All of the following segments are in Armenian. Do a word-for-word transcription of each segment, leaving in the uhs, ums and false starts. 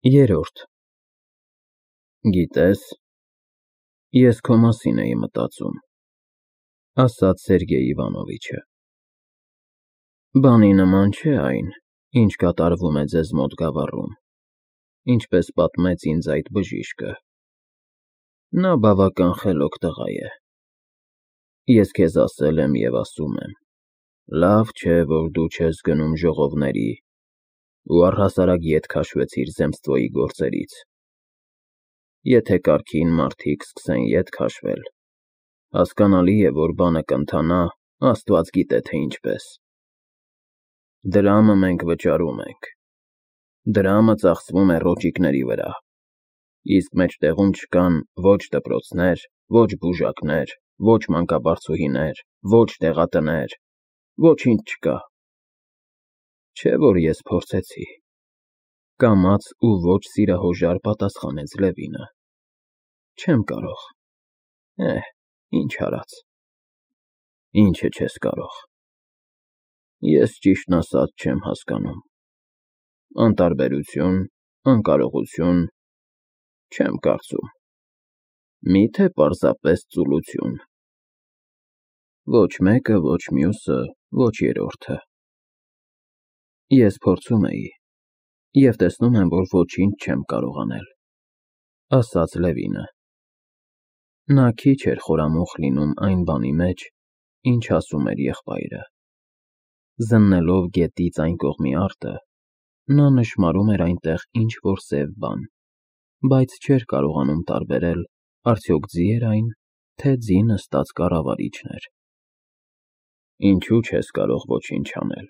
Երրորդ Գիտես, ես քո մասին էի մտածում, ասաց Սերգեյ Իվանովիչը, բանի նման չէ այն, ինչ կատարվում է ձեզ մոտ գավառում, ինչպես պատմեց ինձ այդ բժիշկը, նա բավական խելոք տղա է, ես քեզ ասել եմ և ասում եմ, լավ չէ, որ դու չես գնում ժողովների ու առհասարակ ետ քաշվեցիր zemstvոյի գործերից, եթե կարգին մարդիկ սկսեն ետ քաշվել, հասկանալի է, որ բանը կընթանա, Աստված գիտե թե ինչպես, դրամը մենք վճարում ենք, դրամը ծախսվում է ռոճիկների վրա, իսկ մեջտեղում չկան ոչ դպրոցներ, ոչ բուժակներ, ոչ մանկաբարձուհիներ, ոչ դեղատներ, ոչինչ չկա, չէ որ ես փորձեցի, կամաց ու ոչ սիրահոժար պատասխանեց Լևինը, չեմ կարող, էհ, ինչ արած, ինչը չես կարող, ես ճիշտն ասած չեմ հասկանում, անտարբերություն, անկարողություն, չեմ կարծում, միթե պարզապես ծուլություն, ոչ մեկը, ոչ մյուսը, ոչ երրորդը, ես փորձում էի և տեսնում եմ, որ ոչինչ չեմ կարող անել, ասաց Լևինը, նա քիչ էր խորամուխ լինում այն բանի մեջ, ինչ ասում էր եղբայրը, զննելով գետից այն կողմի արտը, նա նշմարում էր այնտեղ ինչ-որ սև բան, բայց չէր կարողանում տարբերել արդյոք ձի էր այն, թե ձի նստած կառավարիչն էր, ինչու չես կարող ոչինչ անել,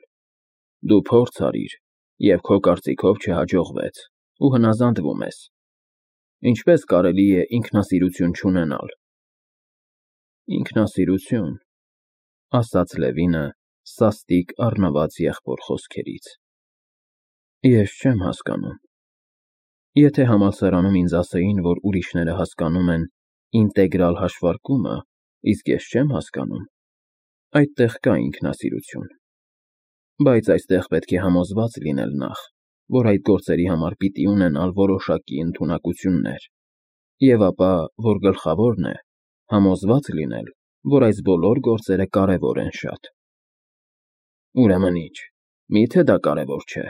դու փորձ արիր և քո կարծիքով չհաջողվեց ու հնազանդվում ես, ինչպես կարելի է ինքնասիրություն չունենալ, ինքնասիրություն, ասաց Լևինը սաստիկ առնված եղբոր խոսքերից, ես չեմ հասկանում, եթե համալսարանում ինձ ասեին, որ ուրիշները հասկանում են ինտեգրալ հաշվարկումը, իսկ ես չեմ հասկանում, այդտեղ կա ինքնասիրություն, բայց այստեղ պետք է համոզված լինել նախ, որ այդ գործերի համար պիտի ունենալ որոշակի ընդունակություններ, և ապա, որ գլխավորն է, համոզված լինել, որ այս բոլոր գործերը կարևոր են շատ, ուրեմն ինչ, միթե դա կարևոր չէ,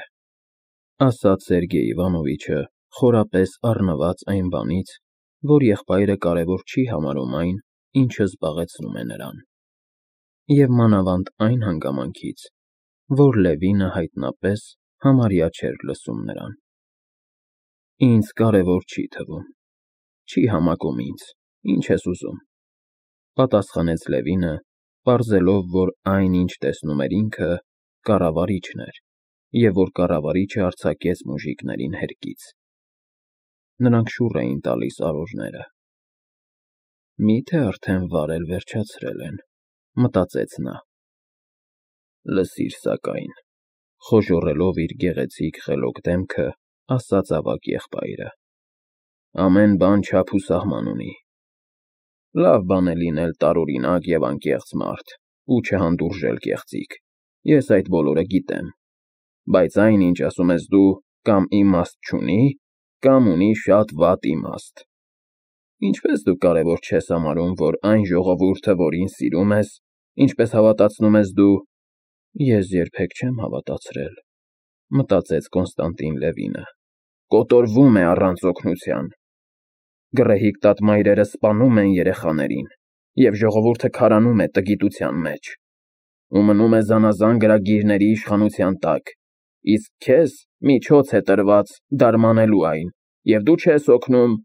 ասաց Սերգեյ Իվանովիչը խորապես առնված այն բանից, որ եղբայրը կարևոր չի համարում այն, ինչը զբաղեցնում է նրան, և մանավանդ այն հանգամանքից, որ Լևինը հայտնապես համարյա չէր լսում նրան, ինձ կարևոր չի թվում, չի համակում ինձ, ինչ ես ուզում, պատասխանեց Լևինը, պարզելով, որ այն, ինչ տեսնում էր ինքը, կառավարիչն էր, և որ կառավարիչը արձակեց մուժիկներին հերկից, նրանք շուռ էին տալիս արորները, միթե արդեն վարել վերջացրել են, մտածեց նա, լսիր սակայն, խոժոռելով իր գեղեցիկ խելոք դեմքը, ասաց ավագ եղբայրը, ամեն բան չափ ու սահման ունի, լավ բան է լինել տարօրինակ և անկեղծ մարդ ու չհանդուրժել կեղծիք, ես այդ բոլորը գիտեմ, բայց այն, ինչ ասում ես դու, կամ իմաստ չունի, կամ ունի շատ վատ իմաստ, ինչպես դու կարևոր չես համարում, որ այն ժողովուրդը, որին սիրում ես, ինչպես հավատացնում ես դու, ես երբեք չեմ հավատացրել, մտածեց Կոնստանտին Լևինը, կոտորվում է առանց օգնության, գռեհիկ տատմայրերը սպանում են երեխաներին, և ժողովուրդը քարանում է տգիտության մեջ, ու մնում է զանազան գրագիրների իշխանության տակ, իսկ քեզ միջոց է տրված դարմանելու այն, և դու չես օգնում,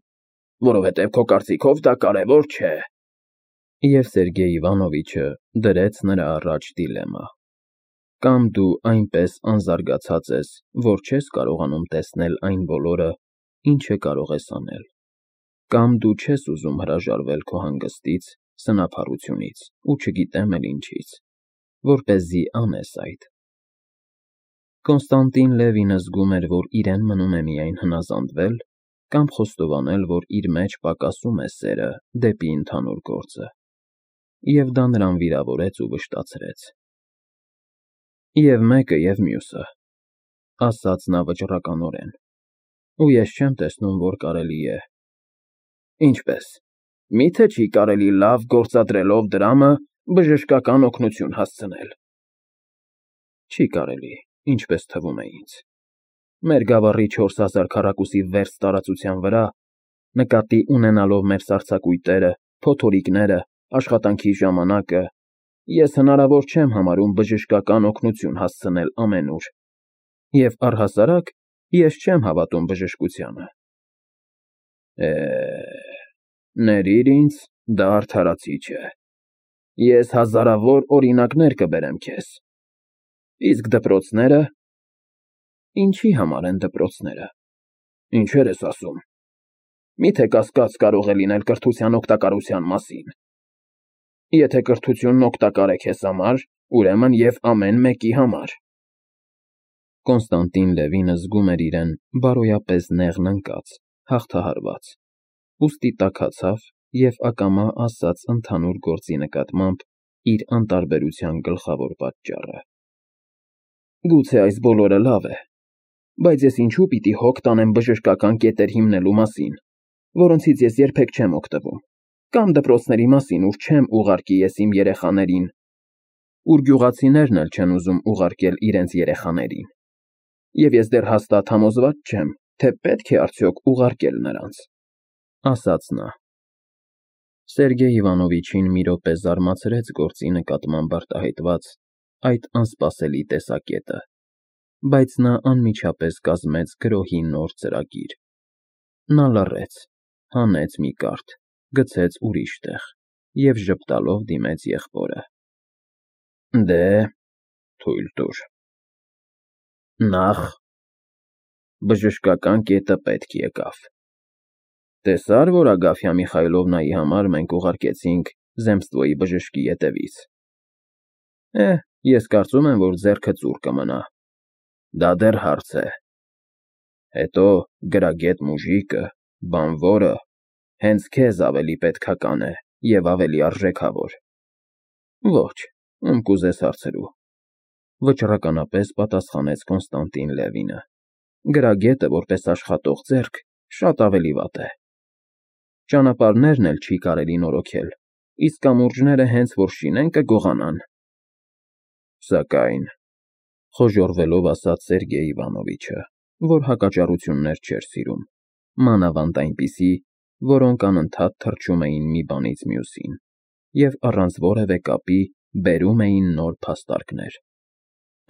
որովհետև քո կարծիքով դա կարևոր չէ, և Սերգեյ Իվանովիչը դրեց նրա առաջ դիլեմա, կամ դու այնպես անզարգացած ես, որ չես կարողանում տեսնել այն բոլորը, ինչը կարող ես անել, կամ դու չես ուզում հրաժարվել քո հանգստից, սնափառությունից ու չգիտեմ էլ ինչից, որպեսզի անես այդ, Կոնստանտին Լևինը զգում էր, որ իրեն մնում է միայն հնազանդվել կամ խոստովանել, որ իր մեջ պակասում է սերը դեպի ընդհանուր գործը, և դա նրան վիրավորեց ու վշտացրեց, և մեկը և մյուսը, ասաց նա վճռականորեն, ու ես չեմ տեսնում, որ կարելի է։ Ինչպես։ Միթե չի կարելի լավ գործադրելով դրամը բժշկական օգնություն հասցնել։ Չի կարելի, ինչպես թվում է ինձ։ Մեր գավառի չորս հազար քառակուսի վերծ տարածության վրա, նկատի ունենալով մեր սառցակույտերը, փոթորիկները, աշխատանքի ժամանակը, ես հնարավոր չեմ համարում բժշկական օգնություն հասցնել ամենուր, և առհասարակ ես չեմ հավատում բժշկությանը։ Է, ներիր ինձ, դա արդարացիչ է։ Ես հազարավոր օրինակներ կբերեմ քեզ։ Իսկ դպրոցները… Ինչի համար են դպրոցները։ Ինչեր ես ասում։ Միթե կասկած կարող է լինել կրթության օգտակարության մասին։ Եթե կրթությունն օգտակար է քեզ համար, ուրեմն և ամեն մեկի համար։ Կոնստանտին Լևինը զգում էր իրեն բարոյապես նեղն ընկած, հաղթահարված, ուստի տաքացավ և ակամա ասաց ընդհանուր գործի նկատմամբ իր անտարբերության գլխավոր պատճառը։ Գուցե այս բոլորը լավ է, բայց ես ինչու պիտի հոգ տանեմ բժշկական կետեր հիմնելու մասին, որոնցից ես երբեք չեմ օգտվում, կամ դպրոցների մասին, ուր չեմ ուղարկի ես իմ երեխաներին, ուր գյուղացիներն էլ չեն ուզում ուղարկել իրենց երեխաներին, և ես դեռ հաստատ համոզված չեմ, թե պետք է արդյոք ուղարկել նրանց, ասաց նա։ Սերգեյ Իվանովիչին մի րոպե զարմացրեց գործի նկատմամբ արտահայտված այդ անսպասելի տեսակետը, բայց նա անմիջապես կազմեց գրոհի նոր ծրագիր։ Նա լռեց, հանեց մի կարդ, գցեց ուրիշ տեղ և ժպտալով դիմեց եղբորը։ Դե, թույլ տուր։ Նախ, բժշկական կետը պետք եկավ։ Տեսա՞ր, որ Ագաֆյա Միխայլովնայի համար մենք ուղարկեցինք Զեմստվոյի բժշկի ետևից։ Է, ես կարծում եմ, որ ձեռքը ծուռ կմնա։ Դա դեռ հարց է։ Հետո գրագետ մուժիկը, բանվորը, հենց քեզ ավելի պետքական է և ավելի արժեքավոր։ Ոչ, ում կուզես հարցրու, վճռականապես պատասխանեց Կոնստանտին Լևինը։ Գրագետը, որպես աշխատող ձեռք, շատ ավելի վատ է։ Ճանապարհներն էլ չի կարելի նորոգել, իսկ կամուրջները հենց որ շինեն կգողանան։ Սակայն, խոժոռվելով ասաց Սերգեյ Իվանովիչը, որ հակաճառություններ չէր սիրում, մանավանդ այնպիսի, որոնք անընդհատ թռչում էին մի բանից մյուսին և առանց որևէ կապի բերում էին նոր փաստարկներ,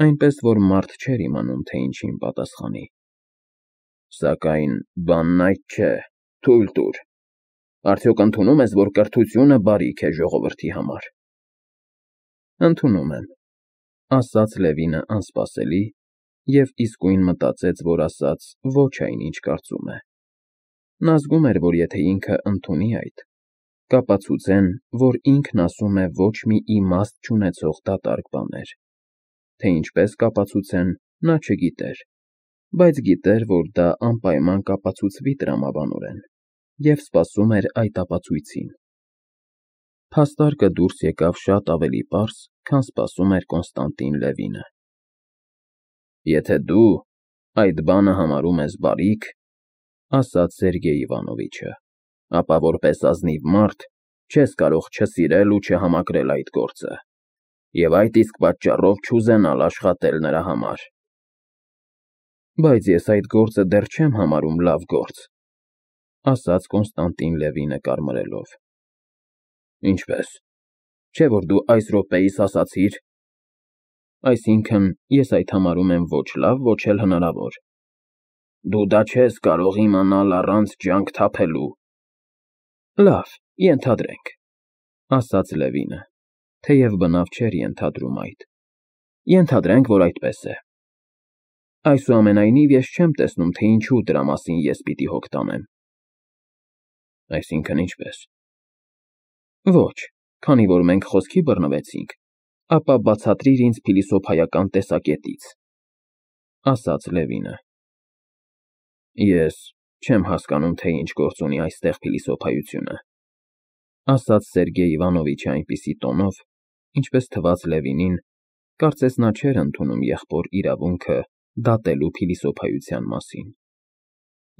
այնպես որ մարդ չէր իմանում, թե ինչին պատասխանի։ Սակայն բանն այդ չէ, թույլ տուր։ Արդյոք ընդունում ես, որ կրթությունը բարիք է ժողովրդի համար։ Ընդունում եմ, ասաց Լևինը անսպասելի և իսկույն մտածեց, որ ասաց ոչ այն, ինչ կարծում է։ Նա զգում էր, որ եթե ինքը ընդունի այդ, կապացուցեն, որ ինքն ասում է ոչ մի իմաստ չունեցող դատարկ բաներ, թե ինչպես կապացուցեն, նա չգիտեր, բայց գիտեր, որ դա անպայման կապացուցվի տրամաբանորեն, և սպասում էր այդ ապացույցին։ Փաստարկը դուրս եկավ շատ ավելի պարզ, քան սպասում էր Կոնստանտին Լևինը։ Եթե դու այդ բանը համարում ես բարիք, ասաց Սերգեյ Իվանովիչը, ապա որպես ազնիվ մարդ չես կարող չսիրել ու չհամակրել այդ գործը, և այդ իսկ պատճառով չուզենալ աշխատել նրա համար։ Բայց ես այդ գործը դեռ չեմ համարում լավ գործ, ասաց Կոնստանտին Լևինը կարմրելով։ Ինչպես, չէ՞ որ դու այս րոպեիս ասացիր։ Այսինքն, ես այդ համարում եմ ոչ լավ, ոչ էլ հնարավոր։ Դու դա չես կարող իմանալ առանց ջանք թափելու։ Լավ, ենթադրենք, ասաց Լևինը, թեև բնավ չէր ենթադրում այդ։ Ենթադրենք, որ այդպես է։ Այսուամենայնիվ ես չեմ տեսնում, թե ինչու դրա մասին ես պիտի հոգ տանեմ։ Այսինքն ինչպես։ Ոչ, քանի որ մենք խոսքի բռնվեցինք, ապա բացատրիր ինձ փիլիսոփայական տեսակետից, ասաց Լևինը։ Ես չեմ հասկանում, թե ինչ գործ ունի այստեղ փիլիսոփայությունը, ասաց Սերգեյ Իվանովիչը այնպիսի տոնով, ինչպես թվաց Լևինին, կարծես նա չէր ընդունում եղբոր իրավունքը դատելու փիլիսոփայության մասին։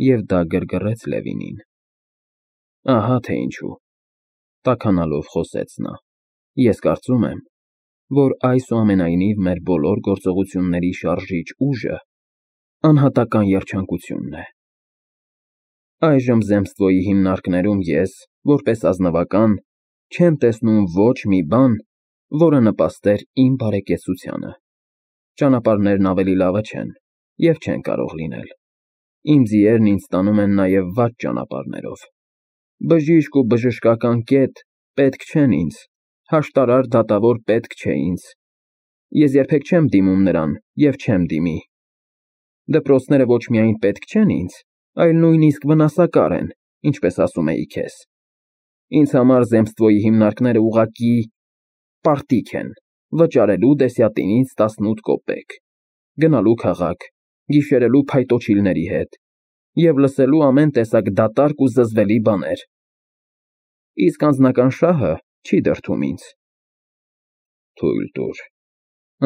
և դա գրգռեց Լևինին։ Ահա թե ինչու, տաքանալով խոսեց նա, ես կարծում եմ, որ այսուամենայնիվ մեր բոլոր գործողությունների շարժիչ ուժը անհատական երջանկությունն է։ Այժմ Զեմստվոյի հիմնարկներում ես, որպես ազնվական, չեմ տեսնում ոչ մի բան, որը նպաստեր իմ բարեկեցությանը։ Ճանապարհներն ավելի լավը չեն և չեն կարող լինել։ Իմ ձիերն ինձ տանում են նաև վատ ճանապարհներով։ Բժիշկ ու բժշկական կետ պետք չեն ինձ, հաշտարար դատավոր պետք չէ ինձ։ Ես երբեք չեմ դիմում նրան և չեմ դիմի։ Դպրոցները ոչ միայն պետք չեն ինձ, այլ նույնիսկ վնասակար են, ինչպես ասում էի քեզ։ Ինձ համար Զեմստվոյի հիմնարկները ուղղակի պարտիկ են, վճարելու դեսյատինից տասնութ կոպեկ, գնալու քաղաք, գիշերելու փայտոջիլների հետ և լսելու ամեն տեսակ դատարկ ու զզվելի բաներ։ Իսկ անձնական շահը չի դրդում ինձ։ Թույլ տուր,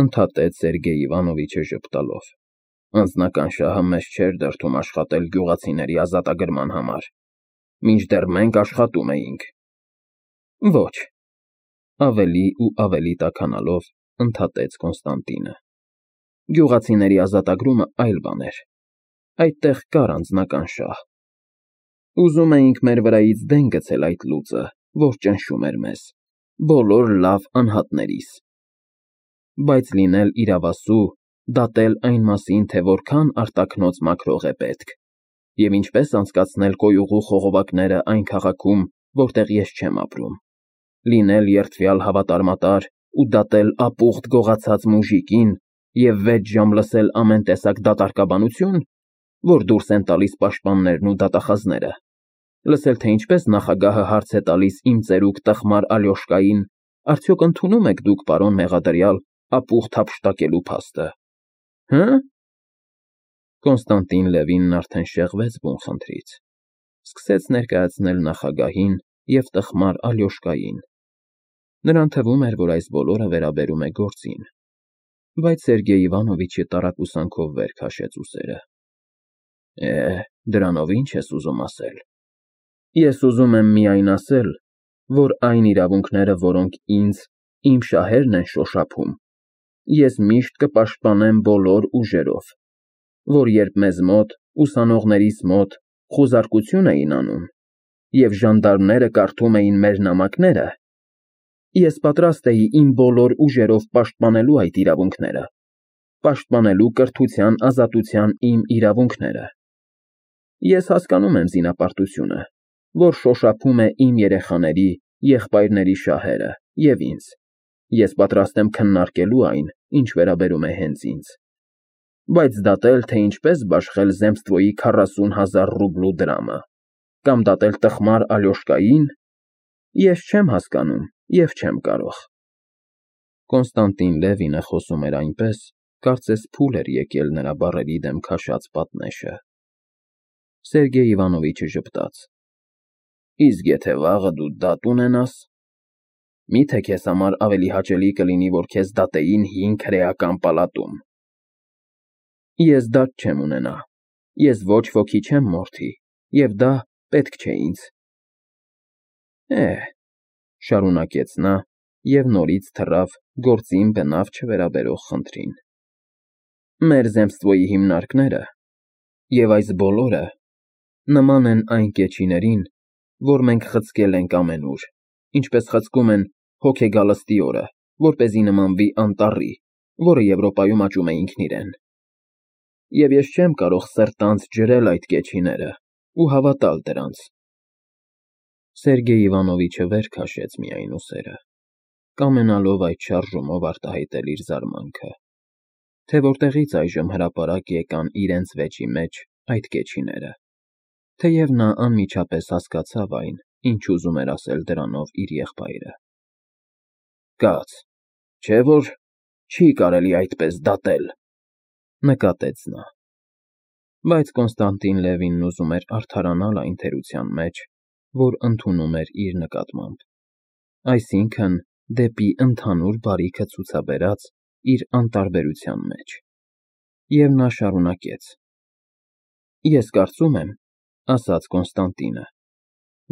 ընդհատեց Սերգեյ Իվանովիչը ժպտալով, անձնական շահը մեզ չէր դրդում աշխատել գյուղացիների ազատագրման համար, մինչդեռ մենք աշխատում էինք։ Ոչ, ավելի ու ավելի տաքանալով ընդհատեց Կոնստանտինը, գյուղացիների ազատագրումը այլ բան էր, այդտեղ կար անձնական շահ։ Ուզում էինք մեր վրայից դեն գցել այդ լուծը, որ ճնշում էր մեզ, բոլոր լավ անհատներիս։ Բայց լինել իրավասու, դատել այն մասին, թե որքան արտաքնոց մաքրող է պետք, և ինչպես անցկացնել կոյուղու խողովակները այն քաղաքում, որտեղ ես չեմ ապրում, լինել երդվյալ հավատարմատար ու դատել ապուխտ գողացած մուժիկին և վեց ժամ լսել ամեն տեսակ դատարկաբանություն, որ դուրս են տալիս պաշտպաններն ու դատախազները, լսել, թե ինչպես նախագահը հարց է տալիս իմ ծերուկ տխմար Ալյոշկային, արդյոք ընդունում եք դուք, պարոն մեղադրյալ, ապուխտ հափշտակելու փաստը, հը՞։ Կոնստանտին Լևինն արդեն շեղվեց բուն խնդրից, սկսեց ներկայացնել նախագահին և տխմար Ալյոշկային։ Նրան թվում էր, որ այս բոլորը վերաբերում է գործին, բայց Սերգեյ Իվանովիչը տարակուսանքով վեր քաշեց ուսերը։ Է, դրանով ի՞նչ ես ուզում ասել։ Ես ուզում եմ միայն ասել, որ այն իրավունքները, որոնք ինձ, իմ շահերն են շոշափում, ես միշտ կպաշտպանեմ բոլոր ուժերով, որ երբ մեզ մոտ, ուսանողներիս մոտ, խուզարկություն էին անում, և ժանդարմները կարդում էին մեր նամակները, ես պատրաստ էի իմ բոլոր ուժերով պաշտպանելու այդ իրավունքները, պաշտպանելու կրթության ազատության իմ իրավունքները։ Ես հասկանում եմ զինապարտությունը, որ շոշափում է իմ երեխաների, եղբայրների շահերը և ինձ, ես պատրաստ եմ քննարկելու այն, ինչ վերաբերում է հենց ինձ, բայց դատել, թե ինչպես բաշխել Զեմստվոյի քառասուն հազար ռուբլու դրամը, կամ դատել տխմար Ալյոշկային, ես չեմ հասկանում և չեմ կարող։ Կոնստանտին Լևինը խոսում էր այնպես, կարծես փուլ էր եկել նրա բառերի դեմ քաշած պատնեշը։ Սերգեյ Իվանովիչը ժպտաց. Իսկ եթե վաղը դու դատ ունենաս, մի՞թե քեզ համար ավելի հաճելի կլինի, որ քեզ դատեին հին քրեական պալատում։ Ես դատ չեմ ունենա, ես ոչ ոքի չեմ մորթի, և դա պետք չէ ինձ։ Է, շարունակեց նա և նորից թռավ գործին բնավ չվերաբերող խնդրին։ Մեր Զեմստվոյի հիմնարկները և այս բոլորը նման են այն կեչիներին, որ մենք խցկել ենք ամենուր, ինչպես խցկում են հոգեգալստի օրը, որպեսզի նմանվի անտառի, որը Եվրոպայում աճում է ինքն իրեն։ Եվ ես չեմ կարող սրտանց ջրել այդ կեչիները ու հավատալ դրանց։ Սերգեյ Իվանովիչը վեր քաշեց միայն ուսերը, կամենալով այդ շարժումով արտահայտել իր զարմանքը, թե որտեղից այժմ հրապարակ եկան իրենց վեճի մեջ այդ կեչիները, թեև նա անմիջապես հասկացավ այն, ինչ ուզում էր ասել դրանով իր եղբայրը։ Կաց, չէ՞ որ չի կարելի այդպես դատել, նկատեց նա։ Բայց Կոնստանտին Լևինն ուզում էր արդարանալ այն թերության մեջ, որ ընդունում էր իր նկատմամբ, այսինքն՝ դեպի ընդհանուր բարիքը ցուցաբերած իր անտարբերության մեջ։ Եվ նա շարունակեց. Ես կարծում եմ, ասաց Կոնստանտինը,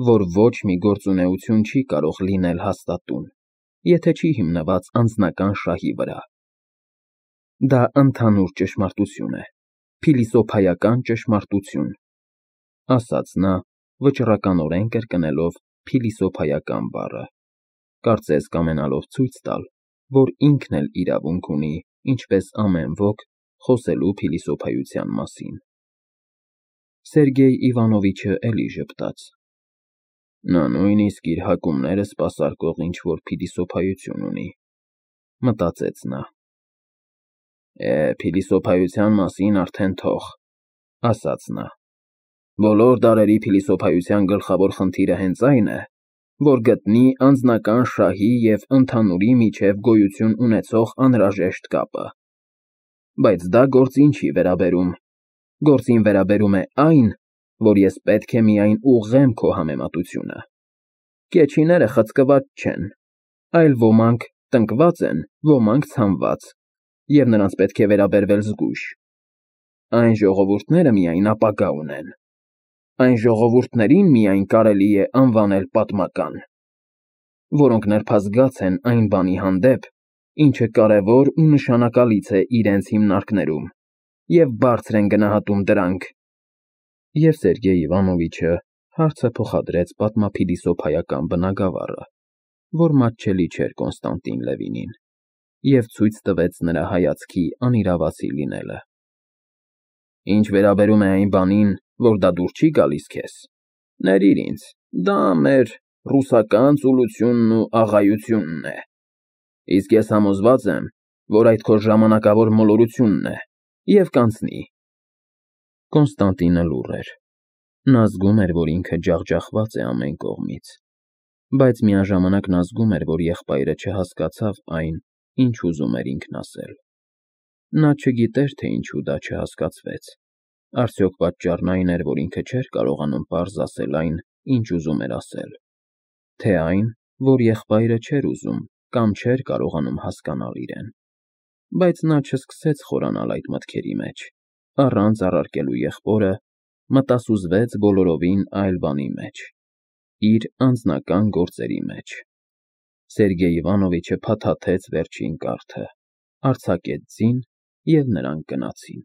որ ոչ մի գործունեություն չի կարող լինել հաստատուն, եթե չի հիմնված անձնական շահի վրա։ Դա ընդհանուր ճշմարտություն է, փիլիսոփայական ճշմարտություն, ասաց նա, վճռականորեն կրկնելով փիլիսոփայական բառը, կարծես կամենալով ցույց տալ, որ ինքն էլ իրավունք ունի, ինչպես ամեն ոք, խոսելու փիլիսոփայության մասին։ Սերգեյ Իվանովիչը էլի ժպտաց։ Նա նույնիսկ իր հակումները սպասարկող ինչ-որ փիլիսոփայություն ունի, մտածեց նա։ Է, փիլիսոփայության մասին արդեն թող, ասաց նա։ Բոլոր դարերի փիլիսոփայության գլխավոր խնդիրը հենց այն է, որ գտնի անձնական շահի և ընդհանուրի միջև գոյություն ունեցող անհրաժեշտ կապը։ Բայց դա գործին չի վերաբերում, գործին վերաբերում է այն, որ ես պետք է միայն ուղղեմ քո համեմատությունը։ Կեչիները խցկված չեն, այլ ոմանք տնկված են, ոմանք ցանված, և նրանց պետք է վերաբերվել զգույշ։ Այն ժողովուրդները միայն ապագա ունեն, այն ժողովուրդներին միայն կարելի է անվանել պատմական, որոնք նրբազգաց են այն բանի հանդեպ, ինչը կարևոր ու նշանակալից է իրենց հիմնարկներում, և բարձր են գնահատում դրանք։ Եվ Սերգեյ Իվանովիչը հարցը փոխադրեց պատմափիլիսոփայական բնագավառը, որ մատչելի չէր Կոնստանտին Լևինին, և ցույց տվեց նրա հայացքի անիրավացի լինելը։ Ինչ վերաբերում է այն բանին, որ դա դուր չի գալիս քեզ, ներիր ինձ, դա մեր ռուսական ծուլությունն ու աղայությունն է, իսկ ես համոզված եմ, որ այդ քո ժամանակավոր մոլորությունն է և կանցնի։ Կոնստանտինը լուռ էր։ Նա զգում էր, որ ինքը ջախջախված է ամեն կողմից, բայց միաժամանակ նա զգում էր, որ եղբայրը չհասկացավ այն, ինչ ուզում էր ինքն ասել։ Նա չգիտեր, թե ինչու դա չհասկացվեց, արդյոք պատճառն այն էր, որ ինքը չէր կարողանում պարզ ասել այն, ինչ ուզում էր ասել, թե այն, որ եղբայրը չէր ուզում կամ չէր կարողանում հասկանալ իրեն։ Բայց նա չսկսեց խորանալ այդ մտքերի մեջ, առանց առարկելու եղբորը, մտասուզվեց բոլորովին այլ բանի մեջ, իր անձնական գործերի մեջ։ Սերգեյ Իվանովիչը փաթաթեց վերջին կարթը, արձակեց ձին, և նրանք գնացին։